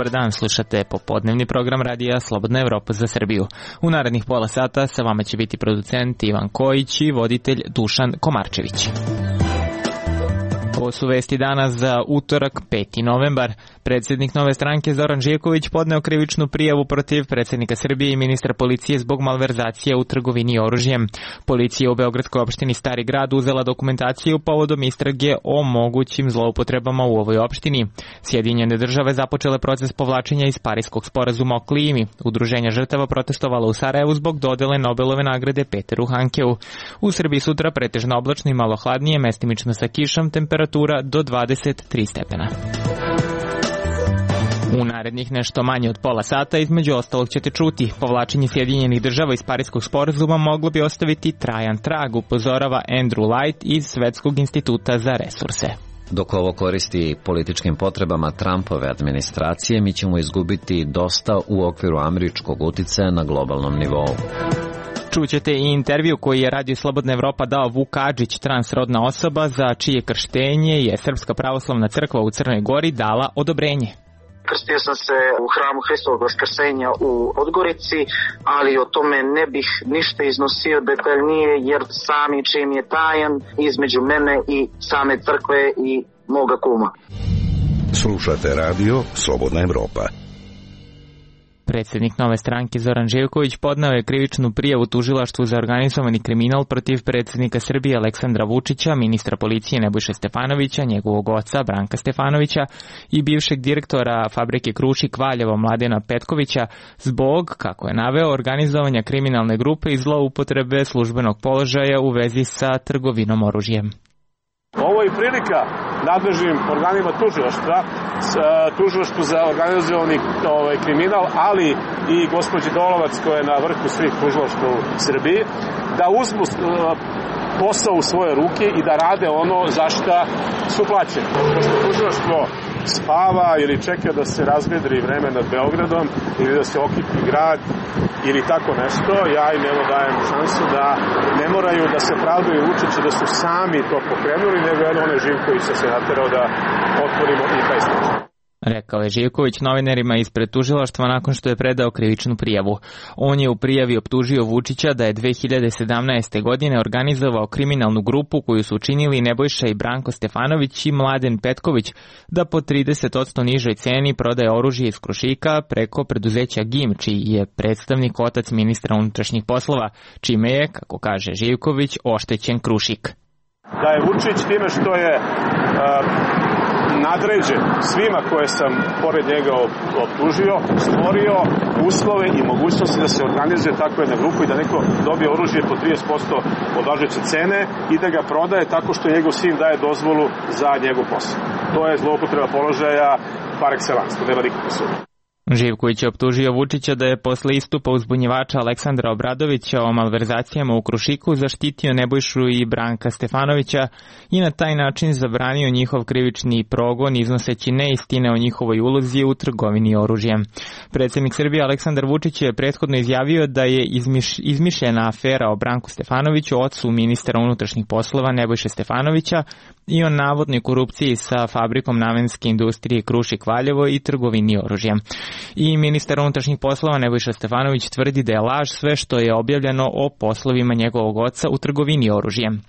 dobar dan, slušate popodnevni program radija Slobodna Evropa za Srbiju. U narednih pola sata sa vama će biti producent Ivan Kojić i voditelj Dušan Komarčević. Ovo su vesti danas za utorak, 5. novembar. Predsjednik Nove stranke Zoran Živković podneo krivičnu prijavu protiv predsjednika Srbije i ministra policije zbog malverzacije u trgovini oružjem. Policija u Beogradskoj opštini Stari grad uzela dokumentaciju povodom istrage o mogućim zloupotrebama u ovoj opštini. Sjedinjene države započele proces povlačenja iz Pariskog sporazuma o klimi. Udruženja žrtava protestovalo u Sarajevu zbog dodele Nobelove nagrade Peteru Hankeu. U Srbiji sutra pretežno oblačno i malo hladnije, mestimično sa kišom, temperatura do 23 stepena. U narednih nešto manje od pola sata između ostalog ćete čuti: povlačenje Sjedinjenih država iz Pariskog sporazuma moglo bi ostaviti trajan trag, upozorava Andrew Light iz Svetskog instituta za resurse. Dok ovo koristi političkim potrebama Trumpove administracije, mi ćemo izgubiti dosta u okviru američkog uticaja na globalnom nivou. Čućete i intervju koji je Radio Slobodna Evropa dao Vuk Adžić, transrodna osoba za čije krštenje je Srpska pravoslavna crkva u Crnoj Gori dala odobrenje. Krstio sam se u hramu Hristovog Vaskrsenja u Podgorici, ali o tome ne bih ništa iznosio detaljnije, jer sami čim je tajan između mene i same crkve i moga kuma. Slušate radio Slobodna Evropa. Predsjednik Nove stranke Zoran Živković podneo je krivičnu prijavu tužilaštvu za organizovani kriminal protiv predsjednika Srbije Aleksandra Vučića, ministra policije Nebojše Stefanovića, njegovog oca Branka Stefanovića i bivšeg direktora fabrike Krušik Valjevo Mladena Petkovića zbog, kako je naveo, organizovanja kriminalne grupe i zloupotrebe službenog položaja u vezi sa trgovinom oružjem. Ovo je prilika nadležnim organima tužilaštvu za organizovani kriminal, ali i gospođi Dolovac koja je na vrhu svih tužilaštva u Srbiji, da uzmu posao u svoje ruke i da rade ono za šta su plaćeni. Pošto tužilaštvo spava ili čeka da se razvedri vreme nad Beogradom ili da se okipi grad ili tako nešto, ja im evo dajem šansu da ne moraju da se pravdaju Vučića da su sami to pokrenuli, nego je onaj Živković se naterao da otvorimo i taj slučaj. Rekao je Živković novinarima ispred tužilaštva nakon što je predao krivičnu prijavu. On je u prijavi optužio Vučića da je 2017. godine organizovao kriminalnu grupu koju su učinili Nebojša i Branko Stefanović i Mladen Petković da po 30% nižoj ceni prodaje oružje iz Krušika preko preduzeća GIM, čiji je predstavnik otac ministra unutrašnjih poslova, čime je, kako kaže Živković, oštećen Krušik. Da je Vučić time što je nadređen svima koje sam pored njega optužio, stvorio uslove i mogućnosti da se organizuje takva jedna grupa i da neko dobije oružje po 30% od važeće cene i da ga prodaje tako što njegov sin daje dozvolu za njegov posao. To je zloupotreba položaja par excellence, to nema nikakve sumnje. Živković je optužio Vučića da je posle istupa uzbunjivača Aleksandra Obradovića o malverzacijama u Krušiku zaštitio Nebojšu i Branka Stefanovića i na taj način zabranio njihov krivični progon iznoseći neistine o njihovoj ulozi u trgovini oružjem. Predsjednik Srbije Aleksandar Vučić je prethodno izjavio da je izmišljena afera o Branku Stefanoviću, ocu ministra unutrašnjih poslova Nebojše Stefanovića, i o navodnoj korupciji sa fabrikom namenske industrije Krušik Valjevo i trgovini oružjem. I ministar unutrašnjih poslova Nebojša Stefanović tvrdi da je laž sve što je objavljeno o poslovima njegovog oca u trgovini oružjem.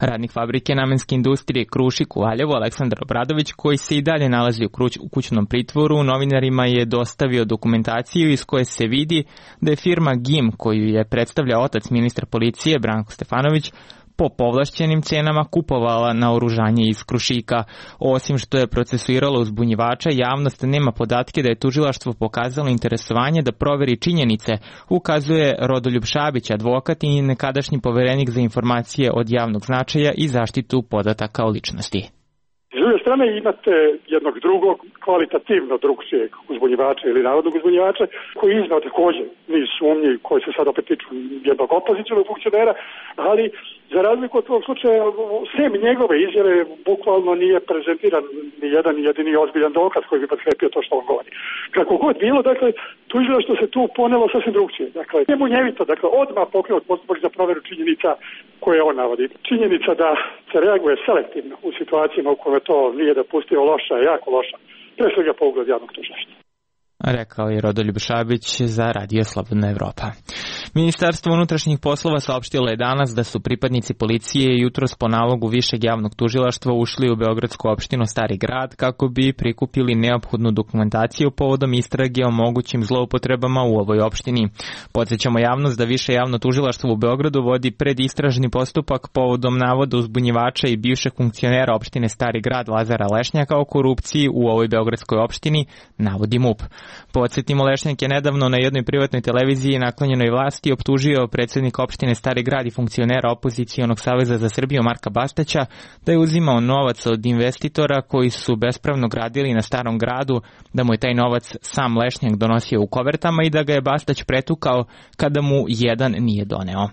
Radnik fabrike namenske industrije Krušik u Valjevu Aleksandar Obradović, koji se i dalje nalazi u kućnom pritvoru, novinarima je dostavio dokumentaciju iz koje se vidi da je firma GIM, koju je predstavljao otac ministra policije Branko Stefanović, po povlašćenim cenama kupovala naoružanje iz Krušika. Osim što je procesuiralo uzbunjivača, javnost nema podatke da je tužilaštvo pokazalo interesovanje da proveri činjenice, ukazuje Rodoljub Šabić, advokat i nekadašnji poverenik za informacije od javnog značaja i zaštitu podataka o ličnosti. S druge strane imate jednog drugog kvalitativno drugčijeg uzbunjivača ili navodnog uzbunjivača koji iznao također niz sumnji koji se sad opet tiču jednog opozicionog funkcionera, ali za razliku od tog slučaja, sem njegove izjave bukvalno nije prezentiran ni jedan jedini ozbiljan dokaz koji bi potkrepio to što on govori. Kako god bilo, dakle, tužilaštvo se tu ponelo sasvim drugčije. Dakle, nije munjevito, dakle, odmah pokrenut postupak za provjeru činjenica koje on navodi. Činjenica da se reaguje selektivno u situacijama u kojoj to nije dopustio loša, jako loša pre svega po ugled javnog tužilaštva. Rekao je Rodoljub Šabić za Radio Slobodna Evropa. Ministarstvo unutrašnjih poslova saopštilo je danas da su pripadnici policije jutros po nalogu Višeg javnog tužilaštva ušli u beogradsku opštinu Stari Grad kako bi prikupili neophodnu dokumentaciju povodom istrage o mogućim zloupotrebama u ovoj opštini. Podsjećamo javnost da Više javno tužilaštvo u Beogradu vodi predistražni postupak povodom navoda uzbunjivača i bivšeg funkcionera opštine Stari Grad Lazara Lešnjaka o korupciji u ovoj beogradskoj opštini, navodi MUP. Podsjetimo, Lešnjak je nedavno na jednoj privatnoj televiziji naklonjenoj vlasti optužio predsjednika opštine Stari Grad i funkcionera opozicionog saveza za Srbiju Marka Bastaća da je uzimao novac od investitora koji su bespravno gradili na Starom Gradu, da mu je taj novac sam Lešnjak donosio u kovertama i da ga je Bastać pretukao kada mu jedan nije doneo.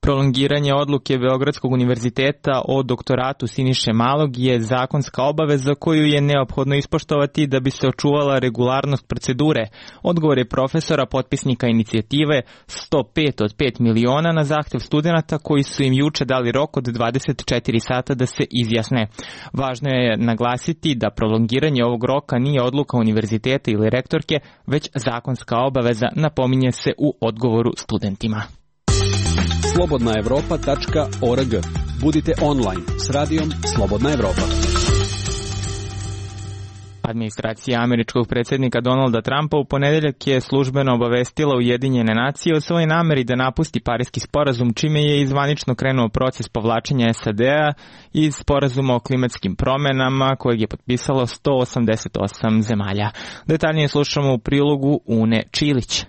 Prolongiranje odluke Beogradskog univerziteta o doktoratu Siniše Malog je zakonska obaveza koju je neophodno ispoštovati da bi se očuvala regularnost procedure, odgovore profesora potpisnika inicijative 105 od 5 miliona na zahtev studenata koji su im juče dali rok od 24 sata da se izjasne. Važno je naglasiti da prolongiranje ovog roka nije odluka univerziteta ili rektorke, već zakonska obaveza, napominje se u odgovoru studentima. slobodnaevropa.org. Budite online s radijom Slobodna Evropa. Administracija američkog predsjednika Donalda Trumpa u ponedeljak je službeno obavestila Ujedinjene nacije o svojoj nameri da napusti Pariski sporazum, čime je i zvanično krenuo proces povlačenja SAD-a iz sporazuma o klimatskim promjenama kojeg je potpisalo 188 zemalja. Detaljnije slušamo u prilogu Une Čilić.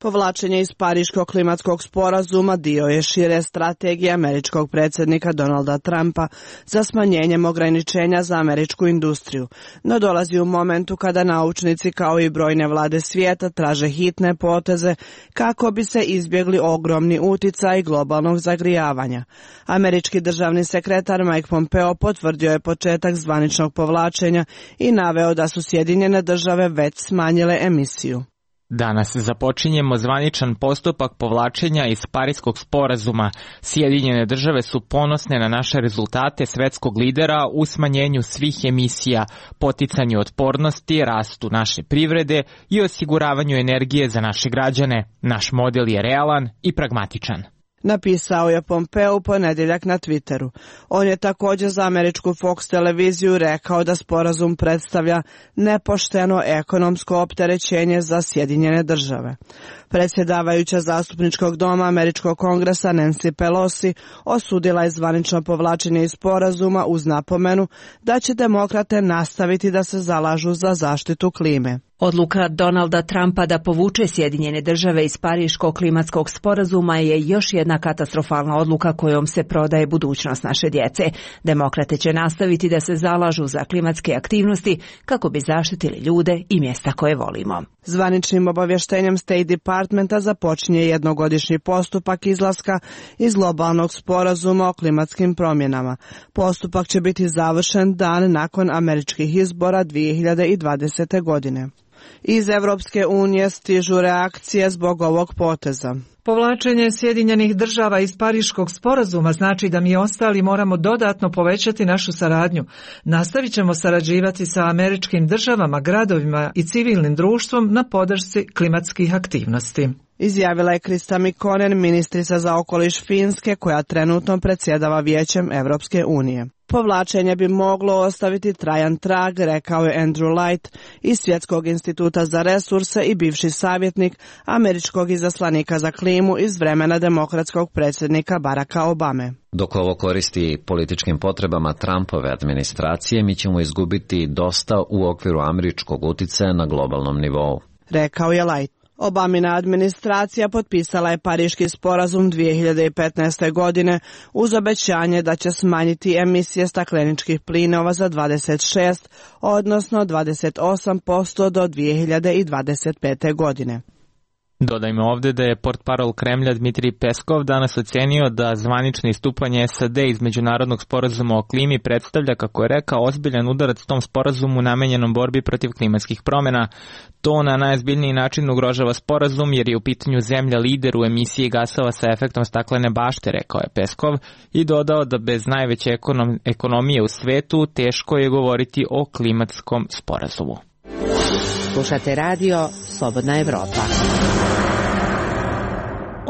Povlačenje iz Pariškog klimatskog sporazuma dio je šire strategije američkog predsjednika Donalda Trumpa za smanjenjem ograničenja za američku industriju, no dolazi u momentu kada naučnici kao i brojne vlade svijeta traže hitne poteze kako bi se izbjegli ogromni uticaj globalnog zagrijavanja. Američki državni sekretar Mike Pompeo potvrdio je početak zvaničnog povlačenja i naveo da su Sjedinjene države već smanjile emisiju. Danas započinjemo zvaničan postupak povlačenja iz Pariskog sporazuma. Sjedinjene države su ponosne na naše rezultate svetskog lidera u smanjenju svih emisija, poticanju otpornosti, rastu naše privrede i osiguravanju energije za naše građane. Naš model je realan i pragmatičan. Napisao je Pompeo u ponedjeljak na Twitteru. On je također za američku Fox televiziju rekao da sporazum predstavlja nepošteno ekonomsko opterećenje za Sjedinjene države. Predsjedavajuća zastupničkog doma američkog kongresa Nancy Pelosi osudila je zvanično povlačenje iz sporazuma uz napomenu da će demokrate nastaviti da se zalažu za zaštitu klime. Odluka Donalda Trumpa da povuče Sjedinjene države iz Pariškog klimatskog sporazuma je još jedna katastrofalna odluka kojom se prodaje budućnost naše djece. Demokrate će nastaviti da se zalažu za klimatske aktivnosti kako bi zaštitili ljude i mjesta koje volimo. Zvaničnim obavještenjem State Departmenta započinje jednogodišnji postupak izlaska iz globalnog sporazuma o klimatskim promjenama. Postupak će biti završen dan nakon američkih izbora 2020. godine. Iz Evropske unije stižu reakcije zbog ovog poteza. Povlačenje Sjedinjenih država iz Pariškog sporazuma znači da mi ostali moramo dodatno povećati našu saradnju. Nastavit ćemo sarađivati sa američkim državama, gradovima i civilnim društvom na podršci klimatskih aktivnosti. Izjavila je Krista Mikkonen, ministrica za okoliš Finske, koja trenutno predsjedava Vijećem Evropske unije. Povlačenje bi moglo ostaviti trajan trag, rekao je Andrew Light iz Svjetskog instituta za resurse i bivši savjetnik američkog izaslanika za klimu iz vremena demokratskog predsjednika Baracka Obame. Dok ovo koristi političkim potrebama Trumpove administracije, mi ćemo izgubiti dosta u okviru američkog uticaja na globalnom nivou, rekao je Light. Obamina administracija potpisala je Pariški sporazum 2015. godine uz obećanje da će smanjiti emisije stakleničkih plinova za 26, odnosno 28% do 2025. godine. Dodajmo ovde da je portparol Kremlja Dmitrij Peskov danas ocenio da zvanično istupanje SAD iz međunarodnog sporazuma o klimi predstavlja, kako je rekao, ozbiljan udarac tom sporazumu namenjenom borbi protiv klimatskih promjena. To na najozbiljniji način ugrožava sporazum jer je u pitanju zemlja lider u emisiji gasova sa efektom staklene bašte, rekao je Peskov, i dodao da bez najveće ekonomije u svetu teško je govoriti o klimatskom sporazumu. Slušate radio Slobodna Evropa.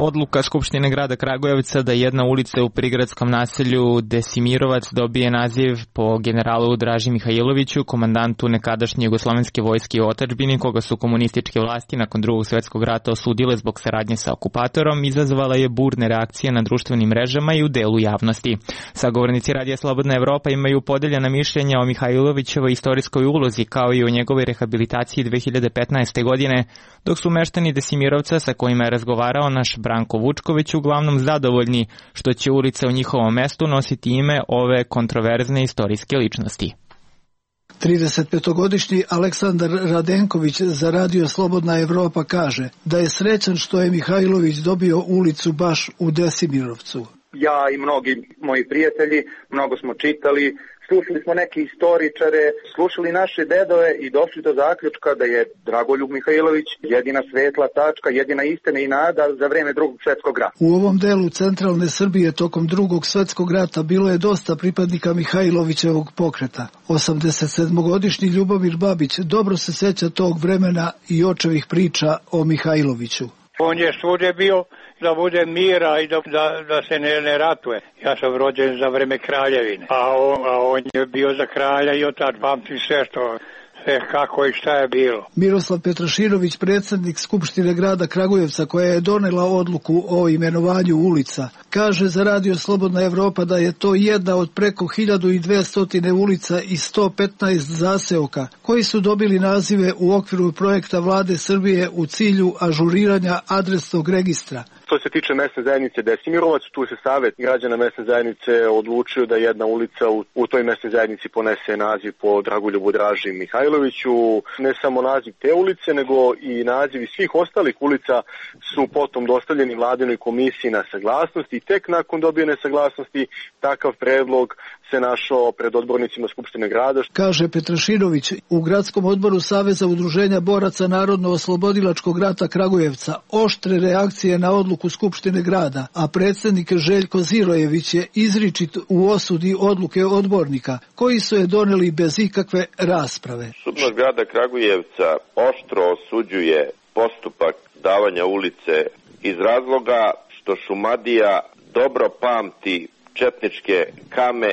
Odluka Skupštine grada Kragujevca da jedna ulica u prigradskom naselju Desimirovac dobije naziv po generalu Draži Mihajloviću, komandantu nekadašnje jugoslovenske vojske u otadžbini, koga su komunističke vlasti nakon Drugog svjetskog rata osudile zbog saradnje sa okupatorom, izazvala je burne reakcije na društvenim mrežama i u delu javnosti. Sagovornici Radija Slobodna Evropa imaju podeljena mišljenja o Mihajlovićevoj istorijskoj ulozi kao i o njegovoj rehabilitaciji 2015. godine, dok su meštani Desimirovca sa kojima je razgovarao naš Branko Vučković uglavnom zadovoljni što će ulica u njihovom mestu nositi ime ove kontroverzne istorijske ličnosti. 35-godišnji Aleksandar Radenković za Radio Slobodna Evropa kaže da je srećan što je Mihajlović dobio ulicu baš u Desimirovcu. Ja i mnogi moji prijatelji, mnogo smo čitali, slušali smo neke istoričare, slušali naše dedove i došli do zaključka da je Dragoljub Mihajlović jedina svetla tačka, jedina istina i nada za vreme Drugog svjetskog rata. U ovom delu centralne Srbije tokom Drugog svjetskog rata bilo je dosta pripadnika Mihajlovićevog pokreta. 87-godišnji Ljubomir Babić dobro se sjeća tog vremena i očevih priča o Mihajloviću. On je svugdje bio da bude mira i da se ne ratuje. Ja sam rođen za vreme kraljevine, a on je bio za kralja i otad pamti sve kako i šta je bilo. Miroslav Petraširović, predsjednik Skupštine grada Kragujevca koja je donela odluku o imenovanju ulica, kaže za Radio Slobodna Evropa da je to jedna od preko 1200 ulica i 115 zaseoka koji su dobili nazive u okviru projekta Vlade Srbije u cilju ažuriranja adresnog registra. Što se tiče mesne zajednice Desimirovac, tu se Savet građana mesne zajednice odlučio da jedna ulica u toj mesnoj zajednici ponese naziv po Dragoljubu Draži Mihajloviću. Ne samo naziv te ulice, nego i nazivi svih ostalih ulica su potom dostavljeni Vladinoj komisiji na saglasnost i tek nakon dobijene saglasnosti takav predlog se našao pred odbornicima Skupštine grada. Kaže Petraširović, u gradskom odboru Saveza udruženja boraca Narodno-oslobodilačkog rata Kragujevca oštre reakcije na odluku Skupštine grada, a predsjednik Željko Zirojević je izričit u osudi odluke odbornika, koji su je doneli bez ikakve rasprave. Skupština grada Kragujevca oštro osuđuje postupak davanja ulice iz razloga što Šumadija dobro pamti četničke kame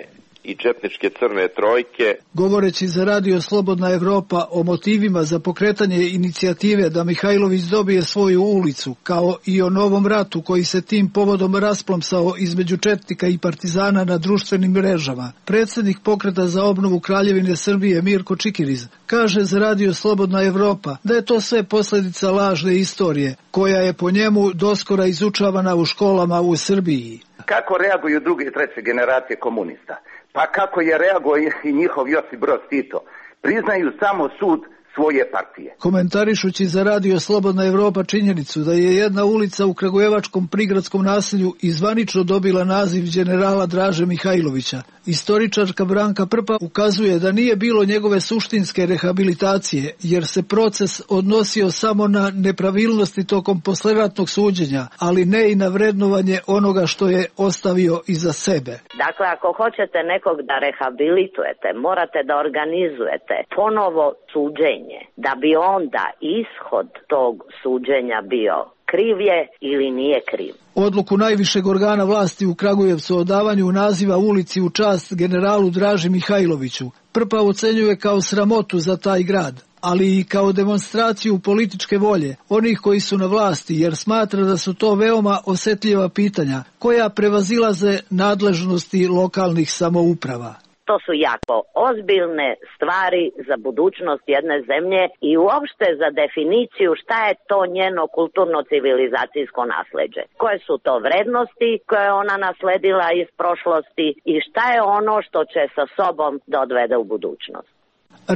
i četničke crne trojke. Govoreći za Radio Slobodna Evropa o motivima za pokretanje inicijative da Mihajlović dobije svoju ulicu, kao i o novom ratu koji se tim povodom rasplomsao između četnika i partizana na društvenim mrežama, predsjednik pokreta za obnovu Kraljevine Srbije Mirko Čikiriz kaže za Radio Slobodna Evropa da je to sve posljedica lažne istorije, koja je po njemu doskora izučavana u školama u Srbiji. Kako reaguju druge i treće generacije komunista? Pa kako je reagovao i njihov Josip Broz Tito? Priznaju samo sud svoje partije. Komentarišući za Radio Slobodna Evropa činjenicu da je jedna ulica u kragujevačkom prigradskom naselju izvanično dobila naziv generala Draže Mihajlovića, istoričarka Branka Prpa ukazuje da nije bilo njegove suštinske rehabilitacije, jer se proces odnosio samo na nepravilnosti tokom posleratnog suđenja, ali ne i na vrednovanje onoga što je ostavio iza sebe. Dakle, ako hoćete nekog da rehabilitujete, morate da organizujete ponovo suđenje, da bi onda ishod tog suđenja bio kriv je ili nije kriv. Odluku najvišeg organa vlasti u Kragujevcu o davanju naziva ulici u čast generalu Draži Mihajloviću Prpa ocenjuje kao sramotu za taj grad, ali i kao demonstraciju političke volje onih koji su na vlasti, jer smatra da su to veoma osjetljiva pitanja koja prevazilaze nadležnosti lokalnih samouprava. To su jako ozbiljne stvari za budućnost jedne zemlje i uopšte za definiciju šta je to njeno kulturno-civilizacijsko nasleđe. Koje su to vrednosti koje je ona nasledila iz prošlosti i šta je ono što će sa sobom da odvede u budućnost.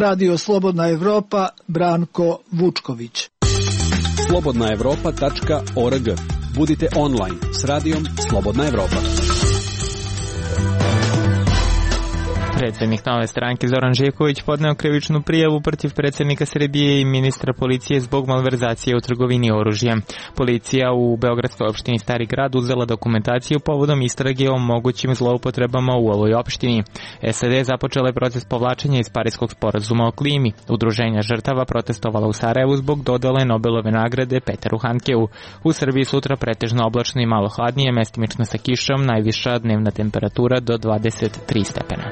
Radio Slobodna Evropa, Branko Vučković. slobodnaevropa.org. Budite online s radijom Slobodna Evropa. Predsjednik Nove stranke Zoran Živković podneo krivičnu prijavu protiv predsjednika Srbije i ministra policije zbog malverzacije u trgovini oružjem. Policija u Beogradskoj opštini Stari Grad uzela dokumentaciju povodom istrage o mogućim zloupotrebama u ovoj opštini. SAD započela je proces povlačenja iz Pariskog sporazuma o klimi. Udruženja žrtava protestovala u Sarajevu zbog dodele Nobelove nagrade Peteru Handkeu. U Srbiji sutra pretežno oblačno i malo hladnije, mestimično sa kišom, najviša dnevna temperatura do 23 stepena.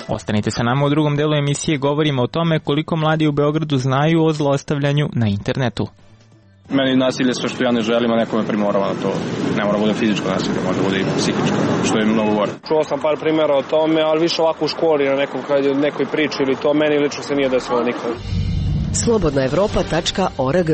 Ostanite sa nama, u drugom delu emisije govorimo o tome koliko mladi u Beogradu znaju o zlostavljanju na internetu. Meni nasilje sve što ja ne želim, a neko me primorava na to. Ne mora bude fizičko nasilje, može bude i psihičko, što je mnogo gore. Čuo sam par primjera o tome, ali više ovako u školi, na nekoj priči ili to, meni lično se nije desilo nikad. slobodnaevropa.org.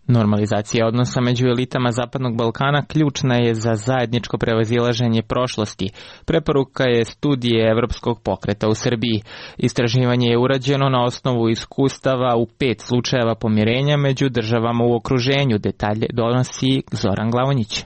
Normalizacija odnosa među elitama Zapadnog Balkana ključna je za zajedničko prevazilaženje prošlosti. Preporuka je studije Evropskog pokreta u Srbiji. Istraživanje je urađeno na osnovu iskustava u 5 slučajeva pomirenja među državama u okruženju. Detalje donosi Zoran Glavonjić.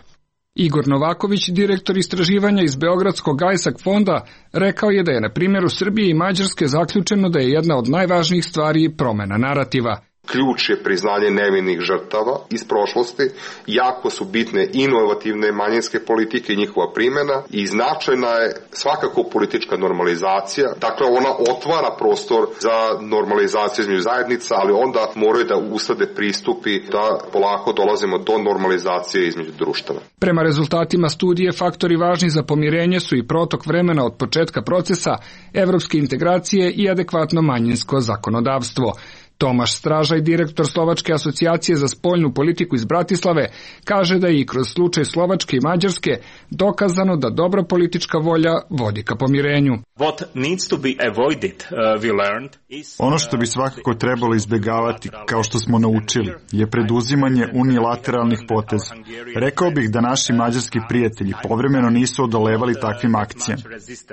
Igor Novaković, direktor istraživanja iz Beogradskog ISAC fonda, rekao je da je na primjeru Srbije i Mađarske zaključeno da je jedna od najvažnijih stvari promena narativa. Ključ je priznanje nevinih žrtava iz prošlosti, jako su bitne inovativne manjinske politike i njihova primjena i značajna je svakako politička normalizacija. Dakle, ona otvara prostor za normalizaciju između zajednica, ali onda moraju da uslede pristupi da polako dolazimo do normalizacije između društava. Prema rezultatima studije, faktori važni za pomirenje su i protok vremena od početka procesa, evropske integracije i adekvatno manjinsko zakonodavstvo. Tomaš Stražaj, direktor Slovačke asocijacije za spoljnu politiku iz Bratislave, kaže da je i kroz slučaj Slovačke i Mađarske dokazano da dobra politička volja vodi ka pomirenju. Ono što bi svakako trebalo izbjegavati, kao što smo naučili, je preduzimanje unilateralnih poteza. Rekao bih da naši mađarski prijatelji povremeno nisu odolevali takvim akcijama.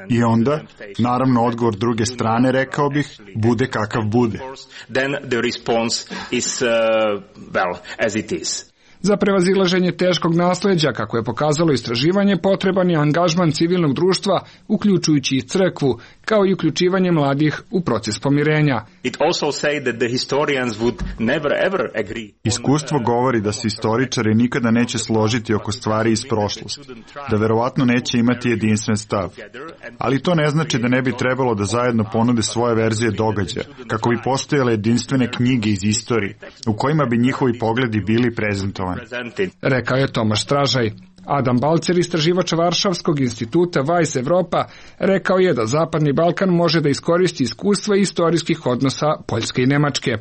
I onda, naravno, odgovor druge strane, rekao bih, bude kakav bude. The response is as it is. Za prevazilaženje teškog nasleđa, kako je pokazalo istraživanje, potreban je angažman civilnog društva, uključujući i crkvu, kao i uključivanje mladih u proces pomirenja. Iskustvo govori da se istoričari nikada neće složiti oko stvari iz prošlosti, da verovatno neće imati jedinstven stav. Ali to ne znači da ne bi trebalo da zajedno ponude svoje verzije događaja, kako bi postojale jedinstvene knjige iz istorije, u kojima bi njihovi pogledi bili prezentovani. Rekao je Tomaš Stražaj. Adam Balcer, istraživač Varšavskog instituta Vice Evropa, rekao je da Zapadni Balkan može da iskoristi iskustva istorijskih odnosa Poljske i Nemačke.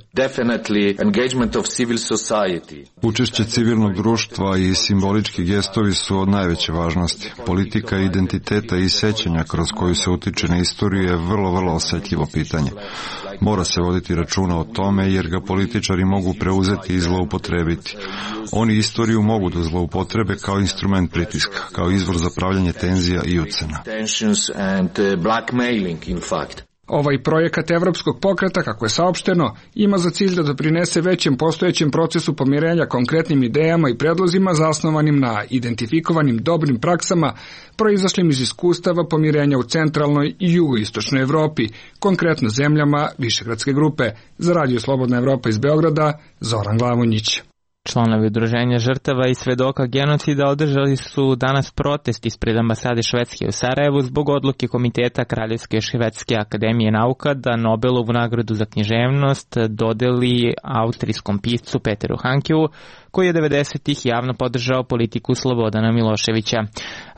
Učešće civilnog društva i simbolički gestovi su od najveće važnosti. Politika identiteta i sećanja kroz koju se utiče na istoriju je vrlo osjetljivo pitanje. Mora se voditi računa o tome jer ga političari mogu preuzeti i zloupotrebiti. Oni istoriju mogu da zloupotrebe kao instrument pritiska, kao izvor za pravljanje tenzija i ucena. Ovaj projekat Evropskog pokreta, kako je saopšteno, ima za cilj da doprinese većem postojećem procesu pomirenja konkretnim idejama i predlozima zasnovanim na identifikovanim dobrim praksama proizašlim iz iskustava pomirenja u centralnoj i jugoistočnoj Evropi, konkretno zemljama Višegradske grupe. Za Radio Slobodna Evropa iz Beograda, Zoran Glavonjić. Članovi udruženja žrtava i svedoka genocida održali su danas protest ispred ambasade Švedske u Sarajevu zbog odluke Komiteta Kraljevske Švedske akademije nauka da Nobelovu nagradu za književnost dodeli austrijskom piscu Peteru Handkeu, koji je 90-ih javno podržao politiku Slobodana Miloševića.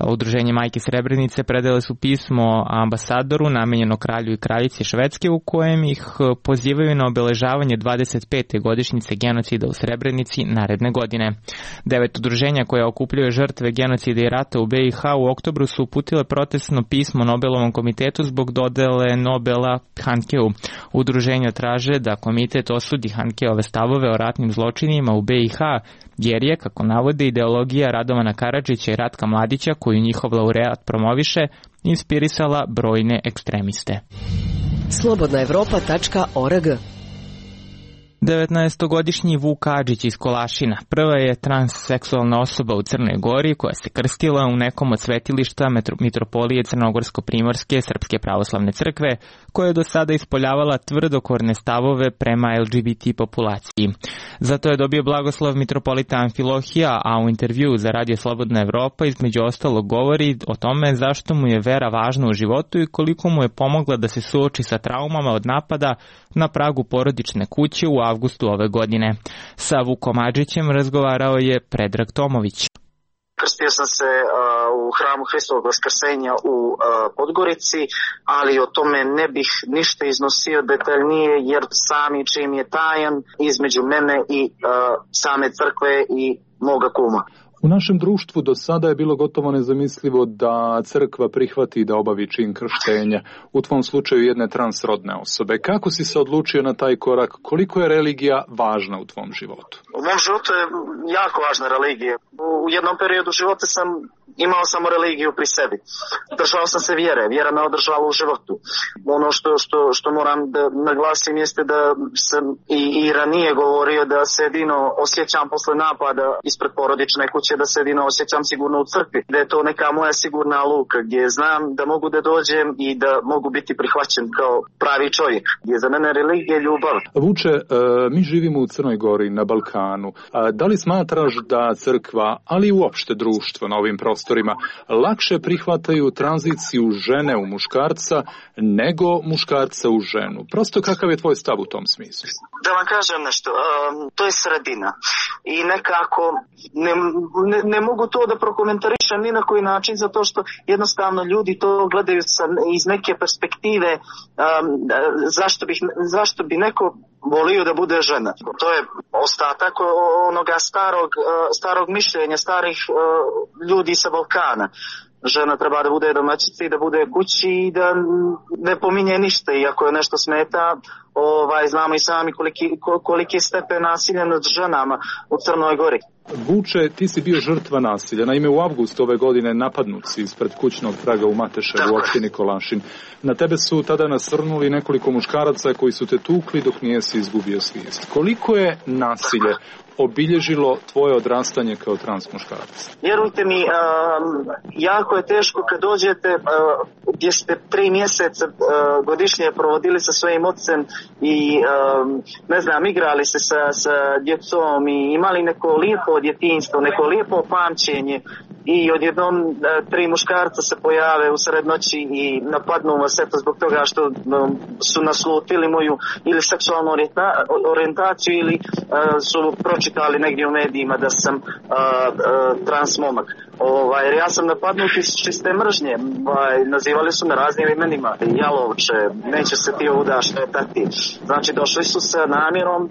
Udruženje Majke Srebrenice predale su pismo ambasadoru namenjeno kralju i kraljici Švedske u kojem ih pozivaju na obeležavanje 25. godišnjice genocida u Srebrenici naredne godine. 9 udruženja koje okupljuje žrtve genocida i rata u BiH u oktobru su uputile protestno pismo Nobelovom komitetu zbog dodele Nobela Handkeu. Udruženja traže da komitet osudi Handkeove stavove o ratnim zločinima u BiH, jer je, kako navode, ideologija Radovana Karadžića i Ratka Mladića, koju njihov laureat promoviše, inspirisala brojne ekstremiste. slobodnaevropa.org. 19-godišnji Vuk Adžić iz Kolašina prva je transseksualna osoba u Crnoj Gori koja se krstila u nekom od svetilišta Mitropolije Crnogorsko-Primorske Srpske pravoslavne crkve, koja je do sada ispoljavala tvrdokorne stavove prema LGBT populaciji. Zato je dobio blagoslov mitropolita Amfilohija, a u intervjuu za Radio Slobodna Evropa između ostalog govori o tome zašto mu je vera važna u životu i koliko mu je pomogla da se suoči sa traumama od napada na pragu porodične kuće u avgustu ove godine. Sa Vukom Adžićem razgovarao je Predrag Tomović. Krstio sam se u hramu Hristovog Vaskrsenja u Podgorici, ali o tome ne bih ništa iznosio detaljnije, jer sami čim je tajan između mene i same crkve i moga kuma. U našem društvu do sada je bilo gotovo nezamislivo da crkva prihvati da obavi čin krštenja, u tvom slučaju jedne transrodne osobe. Kako si se odlučio na taj korak? Koliko je religija važna u tvom životu? U mom životu je jako važna religija. U jednom periodu života imao samo religiju pri sebi. Držao sam se vjere, vjera me održala u životu. Ono što moram da naglasim jeste da sam i ranije govorio da se jedino osjećam posle napada ispred porodične kuće, da se jedino osjećam sigurno u crkvi, da je to neka moja sigurna luka gdje znam da mogu da dođem i da mogu biti prihvaćen kao pravi čovjek, gdje za mene religija je ljubav. Vuče, mi živimo u Crnoj Gori, na Balkanu. Da li smatraš da crkva, ali i uopšte društvo na ovim prostorima, lakše prihvataju tranziciju žene u muškarca nego muškarca u ženu? Prosto kakav je tvoj stav u tom smislu? Da vam kažem nešto, to je sredina i nekako ne mogu to da prokomentarišem ni na koji način, zato što jednostavno ljudi to gledaju iz neke perspektive zašto bi neko volio da bude žena. To je ostatak onoga starog mišljenja, starih ljudi sa Balkana. Žena treba da bude domaćica i da bude kući i da ne pominje ništa, i ako je nešto smeta, znamo i sami koliki je stepen nasilja nad ženama u Crnoj Gori. Vuče, ti si bio žrtva nasilja. Naime, u avgustu ove godine napadnut si ispred kućnog praga u Mateševu u opštini Kolašin. Na tebe su tada nasrnuli nekoliko muškaraca koji su te tukli dok nisi izgubio svijest. Koliko je nasilje obilježilo tvoje odrastanje kao trans muškarac? Vjerujte mi, jako je teško kad dođete gdje ste 3 mjeseca godišnje provodili sa svojim ocem i igrali se sa djecom i imali neko lijepo djetinjstvo, neko lijepo pamćenje, i odjednom 3 muškarca se pojave u sred noći i napadnu vas eto zbog toga što su naslutili moju ili seksualnu orijentaciju ili su pročitali negdje u medijima da sam trans momak. Jer ja sam napadnut iz čiste mržnje. Nazivali su me raznim imenima. Jalovče, neće se ti ovuda štetati. Znači došli su sa namjerom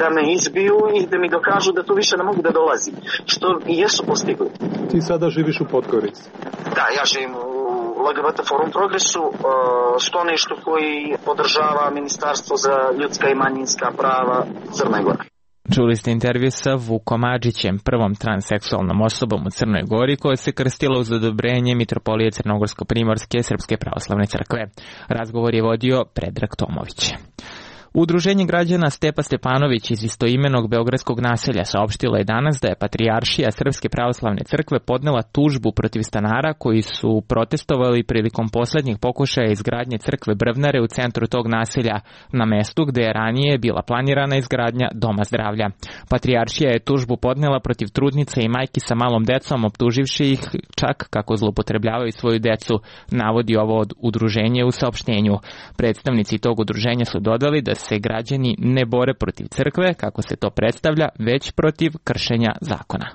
da me izbiju i da mi dokažu da tu više ne mogu da dolazim. Što i jesu postigli. Ti sada živiš u Podgorici? Da, ja živim u LGBT Forum Progresu, skloništu koji podržava Ministarstvo za ljudska i manjinska prava Crne Gore. Čuli ste intervju sa Vukom Adžićem, prvom transseksualnom osobom u Crnoj Gori koja se krstila uz odobrenje Mitropolije Crnogorsko-Primorske Srpske pravoslavne crkve. Razgovor je vodio Predrag Tomović. Udruženje građana Stepa Stepanović iz istoimenog beogradskog naselja saopštilo je danas da je Patrijaršija Srpske pravoslavne crkve podnela tužbu protiv stanara koji su protestovali prilikom poslednjih pokušaja izgradnje crkve Brvnare u centru tog naselja, na mestu gde je ranije bila planirana izgradnja Doma zdravlja. Patrijaršija je tužbu podnela protiv trudnica i majki sa malom decom, optuživši ih čak kako zloupotrebljavaju svoju decu, navodi ovo udruženje u saopštenju. Predstavnici tog udruženja su dodali da se građani ne bore protiv crkve, kako se to predstavlja, već protiv kršenja zakona.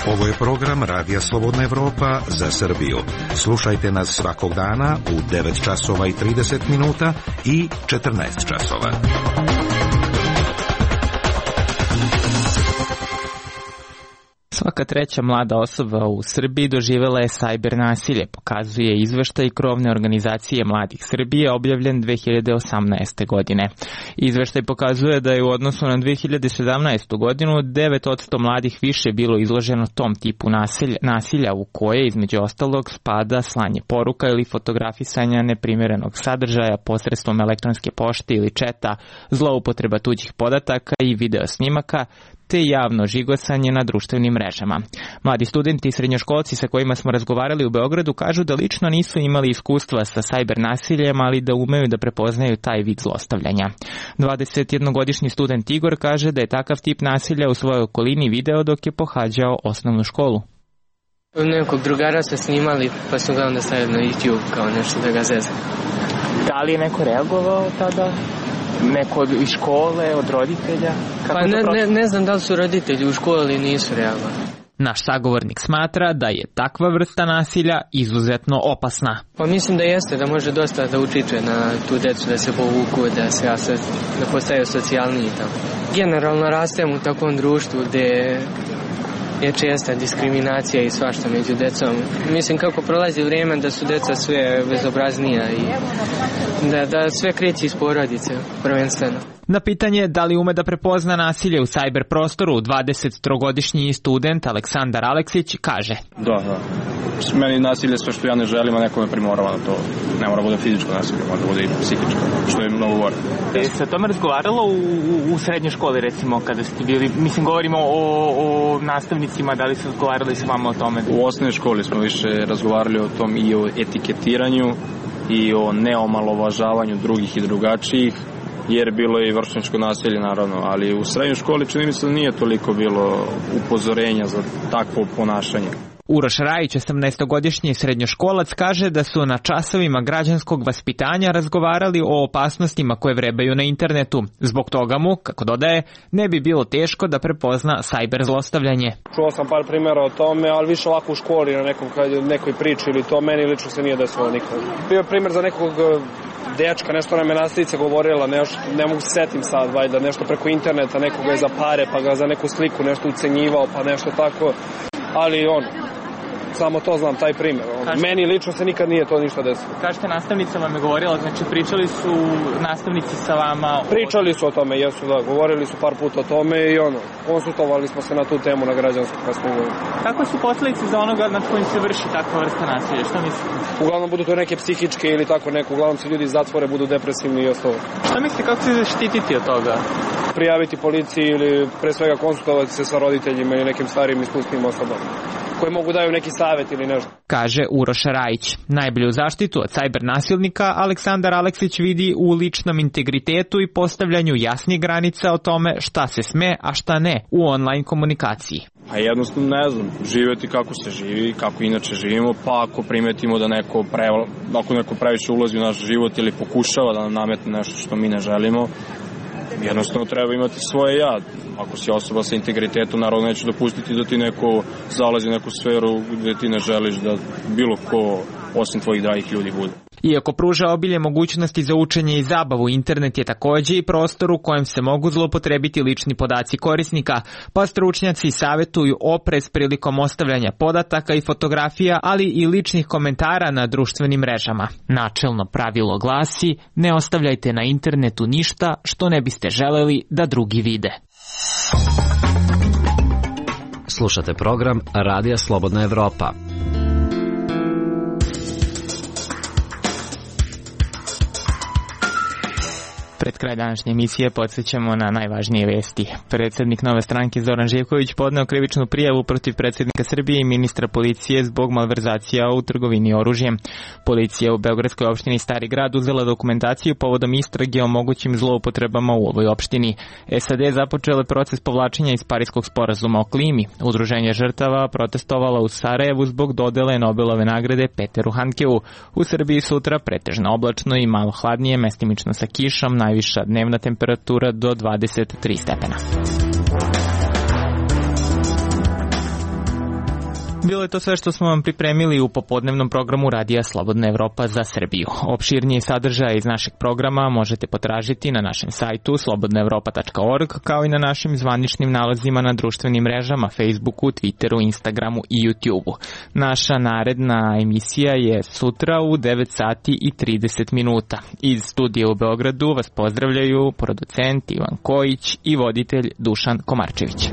Ovo je program Radija Slobodna Evropa za Srbiju. Slušajte nas svakog dana u 9 časova i 30 minuta i 14 časova. Svaka treća mlada osoba u Srbiji doživela je sajber nasilje, pokazuje izveštaj krovne organizacije Mladih Srbije objavljen 2018. godine. Izveštaj pokazuje da je u odnosu na 2017. godinu 9% mladih više bilo izloženo tom tipu nasilja u koje između ostalog spada slanje poruka ili fotografisanja neprimjerenog sadržaja posredstvom elektronske pošte ili četa, zloupotreba tuđih podataka i video snimaka, te javno žigosanje na društvenim mrežama. Mladi studenti i srednjoškolci sa kojima smo razgovarali u Beogradu kažu da lično nisu imali iskustva sa sajber nasiljem, ali da umeju da prepoznaju taj vid zlostavljanja. 21-godišnji student Igor kaže da je takav tip nasilja u svojoj okolini video dok je pohađao osnovnu školu. Nekog drugara ste snimali pa su ga onda stavili na YouTube kao nešto da ga zezna. Da li je neko reagovao tada? Neko iz škole, od roditelja? Pa ne znam da li su roditelji u školi ili nisu reagovali. Naš sagovornik smatra da je takva vrsta nasilja izuzetno opasna. Pa mislim da jeste, da može dosta da utiče na tu decu, da se povuku, da postaju socijalniji tamo. Generalno rastem u takvom društvu gde je česta diskriminacija i svašta među decom. Mislim kako prolazi vrijeme da su deca sve bezobraznija i da sve kreće iz porodice prvenstveno. Na pitanje da li ume da prepozna nasilje u sajber prostoru, 23-godišnji student Aleksandar Aleksić kaže: Da. Meni nasilje sve što ja ne želim, a neko me primorava na to. Ne mora bude fizičko nasilje, može bude i psihičko, što je mnogo gore. Se o tome razgovaralo u srednjoj školi, recimo, kada ste bili, mislim, govorimo o nastavnicima, da li ste razgovarali s vama o tome? U osnovnoj školi smo više razgovarali o tom i o etiketiranju i o neomalovažavanju drugih i drugačijih, jer bilo je i vršnjačko nasilje naravno, ali u srednjoj školi čini mi se da nije toliko bilo upozorenja za takvo ponašanje. Uroš Rajić, 18-godišnji srednjoškolac, kaže da su na časovima građanskog vaspitanja razgovarali o opasnostima koje vrebaju na internetu. Zbog toga mu, kako dodaje, ne bi bilo teško da prepozna sajber zlostavljanje. Čuo sam par primjera o tome, ali više ovako u školi na nekoj priči ili to, meni lično se nije desilo nikad. Bio primjer za nekog dečka, nešto nam je nastavnica govorila, nešto, ne mogu se setim sad, valjda, nešto preko interneta, nekoga je za pare, pa ga za neku sliku nešto ucenjivao, pa nešto tako, ali samo to znam, taj primjer. Meni lično se nikad nije to ništa desilo. Kažete, nastavnica vam je govorila, znači pričali su nastavnici sa vama? Pričali su o tome, jesu, da, govorili su par puta o tome i konsultovali smo se na tu temu na građansku kasnije. Kakve su posljedice za onoga nad kojim se vrši takva vrsta nasilja? Šta mislite? Uglavnom budu to neke psihičke ili tako neko, uglavnom se ljudi iz zatvore budu depresivni i ostalo. Šta mislite, kako se zaštititi od toga? Prijaviti policiji ili pre svega konsultovati se sa roditeljima ili nekim starijim iskusnim osobama koji mogu daju neki savjet ili nešto. Kaže Uroš Rajić. Najbolju zaštitu od sajber nasilnika Aleksandar Aleksić vidi u ličnom integritetu i postavljanju jasnih granica o tome šta se sme, a šta ne u online komunikaciji. A jednostavno ne znam, živjeti kako se živi, kako inače živimo, pa ako primetimo da neko previše ulazi u naš život ili pokušava da nam nametne nešto što mi ne želimo, jednostavno treba imati svoje ja. Ako si osoba sa integritetom, naravno neću dopustiti da ti neko zalazi u neku sferu gdje ti ne želiš da bilo ko osim tvojih dragih ljudi bude. Iako pruža obilje mogućnosti za učenje i zabavu, internet je također i prostor u kojem se mogu zloupotrebiti lični podaci korisnika, pa stručnjaci savjetuju oprez prilikom ostavljanja podataka i fotografija, ali i ličnih komentara na društvenim mrežama. Načelno pravilo glasi: ne ostavljajte na internetu ništa što ne biste želeli da drugi vide. Slušate program Radija Slobodna Evropa. Pred kraj današnje emisije podsjećamo na najvažnije vesti. Predsjednik Nove stranke Zoran Živković podneo krivičnu prijavu protiv predsjednika Srbije i ministra policije zbog malverzacija u trgovini oružjem. Policija u Beogradskoj opštini Stari Grad uzela dokumentaciju povodom istrage o mogućim zloupotrebama u ovoj opštini. SAD započele proces povlačenja iz Pariskog sporazuma o klimi. Udruženje žrtava protestovala u Sarajevu zbog dodele Nobelove nagrade Peteru Handkeu. U Srbiji sutra pretežno oblačno i malo hladnije, mestimično sa kišom, najviša dnevna temperatura do 23 stepena. Bilo je to sve što smo vam pripremili u popodnevnom programu Radija Slobodna Evropa za Srbiju. Opširniji sadržaj iz našeg programa možete potražiti na našem sajtu slobodnaevropa.org, kao i na našim zvaničnim nalazima na društvenim mrežama Facebooku, Twitteru, Instagramu i YouTubeu. Naša naredna emisija je sutra u 9 sati i 30 minuta. Iz studija u Beogradu vas pozdravljaju producent Ivan Kojić i voditelj Dušan Komarčević.